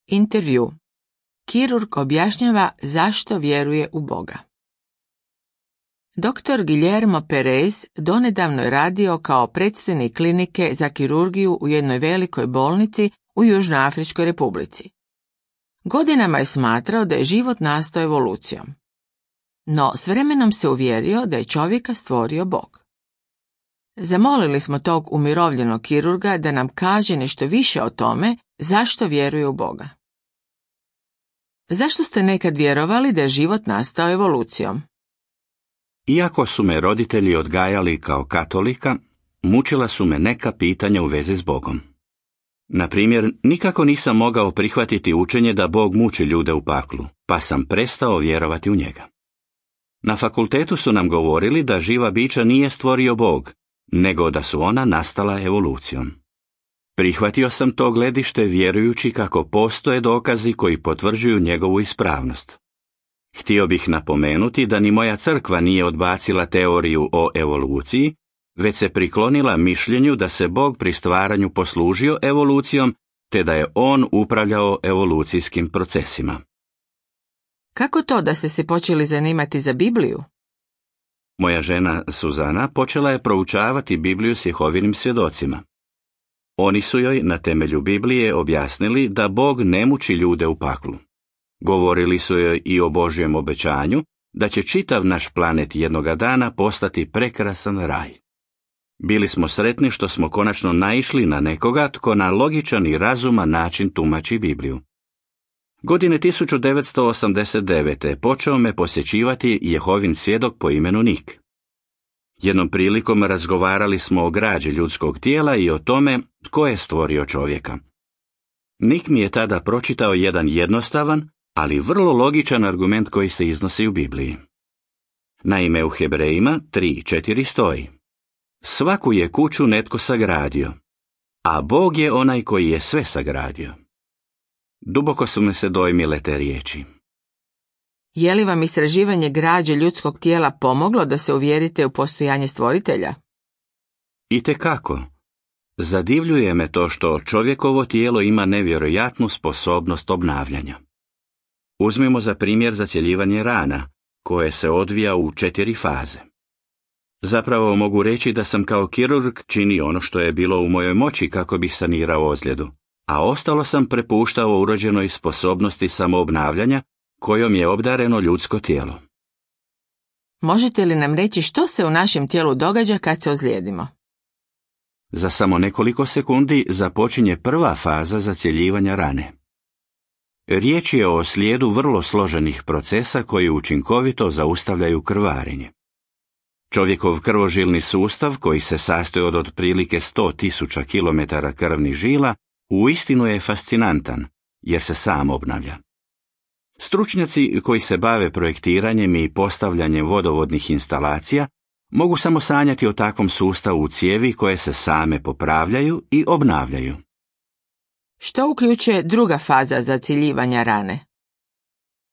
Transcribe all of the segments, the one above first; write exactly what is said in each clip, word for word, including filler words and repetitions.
Intervju. Kirurg objašnjava zašto vjeruje u Boga. doktor Guillermo Perez donedavno je radio kao predstojnik klinike za kirurgiju u jednoj velikoj bolnici u Južnoafričkoj republici. Godinama je smatrao da je život nastao evolucijom. No s vremenom se uvjerio da je čovjeka stvorio Bog. Zamolili smo tog umirovljenog kirurga da nam kaže nešto više o tome zašto vjeruje u Boga. Zašto ste nekad vjerovali da je život nastao evolucijom? Iako su me roditelji odgajali kao katolika, mučila su me neka pitanja u vezi s Bogom. Na primjer, nikako nisam mogao prihvatiti učenje da Bog muči ljude u paklu, pa sam prestao vjerovati u njega. Na fakultetu su nam govorili da živa bića nije stvorio Bog, nego da su ona nastala evolucijom. Prihvatio sam to gledište vjerujući kako postoje dokazi koji potvrđuju njegovu ispravnost. Htio bih napomenuti da ni moja crkva nije odbacila teoriju o evoluciji, već se priklonila mišljenju da se Bog pri stvaranju poslužio evolucijom, te da je on upravljao evolucijskim procesima. Kako to da ste se počeli zanimati za Bibliju? Moja žena Suzana počela je proučavati Bibliju s Jehovinim svjedocima. Oni su joj na temelju Biblije objasnili da Bog ne muči ljude u paklu. Govorili su joj i o Božjem obećanju da će čitav naš planet jednoga dana postati prekrasan raj. Bili smo sretni što smo konačno naišli na nekoga tko na logičan i razuman način tumači Bibliju. Godine tisuću devetsto osamdeset devete. počeo me posjećivati Jehovin svjedok po imenu Nik. Jednom prilikom razgovarali smo o građi ljudskog tijela i o tome tko je stvorio čovjeka. Nik mi je tada pročitao jedan jednostavan, ali vrlo logičan argument koji se iznosi u Bibliji. Naime, u Hebrejima tri četiri stoji: svaku je kuću netko sagradio, a Bog je onaj koji je sve sagradio. Duboko su me se dojmile te riječi. Je li vam istraživanje građe ljudskog tijela pomoglo da se uvjerite u postojanje stvoritelja? Itekako. Zadivljuje me to što čovjekovo tijelo ima nevjerojatnu sposobnost obnavljanja. Uzmimo za primjer zacjeljivanje rana, koje se odvija u četiri faze. Zapravo mogu reći da sam kao kirurg činio ono što je bilo u mojoj moći kako bih sanirao ozljedu, a ostalo sam prepuštao urođenoj sposobnosti samoobnavljanja kojom je obdareno ljudsko tijelo. Možete li nam reći što se u našem tijelu događa kad se ozlijedimo? Za samo nekoliko sekundi započinje prva faza zacjeljivanja rane. Riječ je o slijedu vrlo složenih procesa koji učinkovito zaustavljaju krvarenje. Čovjekov krvožilni sustav, koji se sastoji od otprilike sto tisuća kilometara krvnih žila, uistinu je fascinantan, jer se sam obnavlja. Stručnjaci koji se bave projektiranjem i postavljanjem vodovodnih instalacija mogu samo sanjati o takvom sustavu u cijevi koje se same popravljaju i obnavljaju. Što uključuje druga faza zacjeljivanja rane?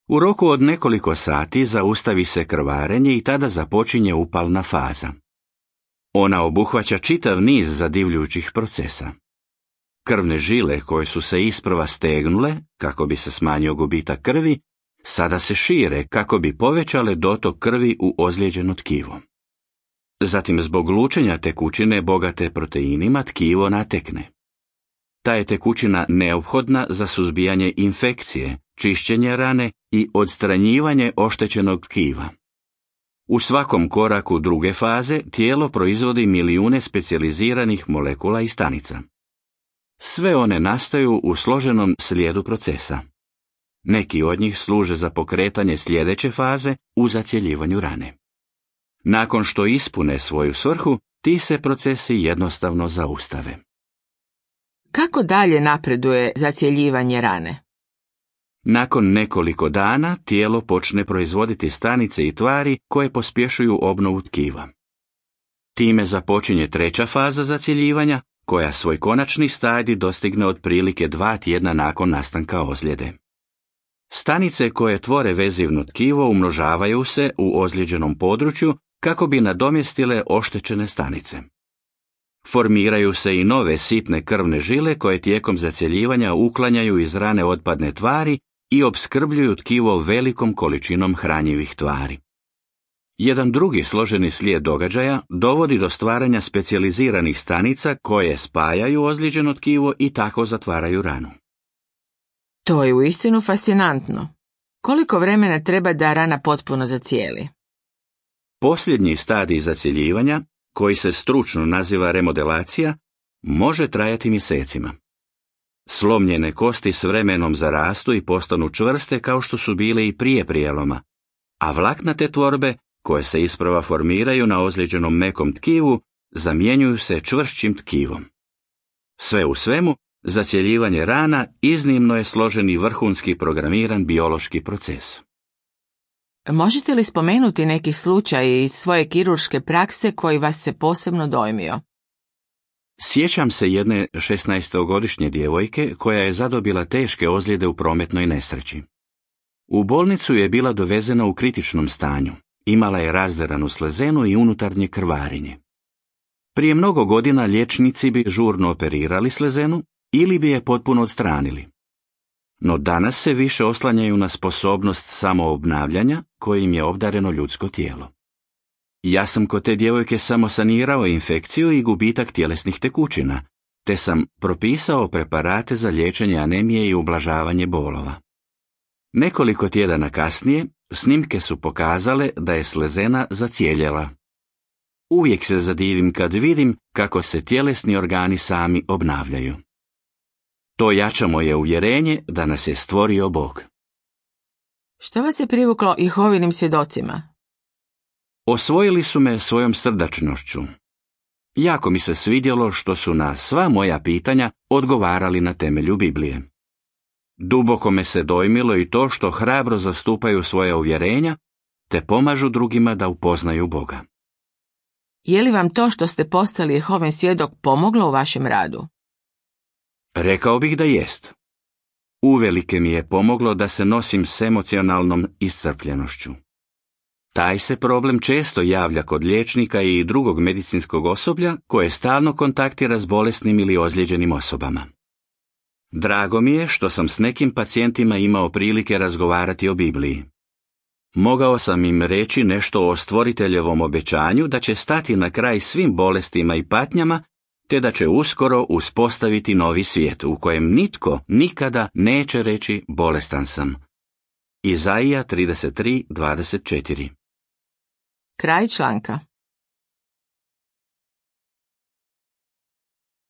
U roku od nekoliko sati zaustavi se krvarenje i tada započinje upalna faza. Ona obuhvaća čitav niz zadivljujućih procesa. Krvne žile koje su se isprva stegnule, kako bi se smanjio gubitak krvi, sada se šire kako bi povećale dotok krvi u ozlijeđeno tkivo. Zatim zbog lučenja tekućine bogate proteinima tkivo natekne. Ta je tekućina neophodna za suzbijanje infekcije, čišćenje rane i odstranjivanje oštećenog tkiva. U svakom koraku druge faze tijelo proizvodi milijune specijaliziranih molekula i stanica. Sve one nastaju u složenom slijedu procesa. Neki od njih služe za pokretanje sljedeće faze u zacjeljivanju rane. Nakon što ispune svoju svrhu, ti se procesi jednostavno zaustave. Kako dalje napreduje zacjeljivanje rane? Nakon nekoliko dana tijelo počne proizvoditi stanice i tvari koje pospješuju obnovu tkiva. Time započinje treća faza zacjeljivanja, koja svoj konačni stadij dostigne otprilike dva tjedna nakon nastanka ozljede. Stanice koje tvore vezivno tkivo umnožavaju se u ozlijeđenom području kako bi nadomjestile oštećene stanice. Formiraju se i nove sitne krvne žile koje tijekom zacjeljivanja uklanjaju iz rane otpadne tvari i opskrbljuju tkivo velikom količinom hranjivih tvari. Jedan drugi složeni slijed događaja dovodi do stvaranja specijaliziranih stanica koje spajaju ozlijeđeno tkivo i tako zatvaraju ranu. To je uistinu fascinantno. Koliko vremena treba da rana potpuno zacijeli? Posljednji stadij zacjeljivanja, koji se stručno naziva remodelacija, može trajati mjesecima. Slomljene kosti s vremenom zarastu i postanu čvrste kao što su bile i prije prijeloma, a vlaknate tvorbe, koje se isprva formiraju na ozlijeđenom mekom tkivu, zamjenjuju se čvršćim tkivom. Sve u svemu, zacjeljivanje rana iznimno je složen i vrhunski programiran biološki proces. Možete li spomenuti neki slučaj iz svoje kirurške prakse koji vas se posebno dojmio? Sjećam se jedne šesnaestogodišnje djevojke koja je zadobila teške ozljede u prometnoj nesreći. U bolnicu je bila dovezena u kritičnom stanju, imala je razderanu slezenu i unutarnje krvarenje. Prije mnogo godina liječnici bi žurno operirali slezenu ili bi je potpuno odstranili. No danas se više oslanjaju na sposobnost samoobnavljanja kojim je obdareno ljudsko tijelo. Ja sam kod te djevojke samo sanirao infekciju i gubitak tjelesnih tekućina, te sam propisao preparate za liječenje anemije i ublažavanje bolova. Nekoliko tjedana kasnije snimke su pokazale da je slezena zacijeljela. Uvijek se zadivim kad vidim kako se tjelesni organi sami obnavljaju. To jača moje uvjerenje da nas je stvorio Bog. Što vas je privuklo Jehovinim svjedocima? Osvojili su me svojom srdačnošću. Jako mi se svidjelo što su na sva moja pitanja odgovarali na temelju Biblije. Duboko me se dojmilo i to što hrabro zastupaju svoja uvjerenja, te pomažu drugima da upoznaju Boga. Je li vam to što ste postali Jehovin svjedok pomoglo u vašem radu? Rekao bih da jest. Uvelike mi je pomoglo da se nosim s emocionalnom iscrpljenošću. Taj se problem često javlja kod liječnika i drugog medicinskog osoblja koje stalno kontaktira s bolesnim ili ozlijeđenim osobama. Drago mi je što sam s nekim pacijentima imao prilike razgovarati o Bibliji. Mogao sam im reći nešto o stvoriteljevom obećanju da će stati na kraj svim bolestima i patnjama, te da će uskoro uspostaviti novi svijet u kojem nitko nikada neće reći bolestan sam. Izaija trideset tri dvadeset četiri. Kraj članka.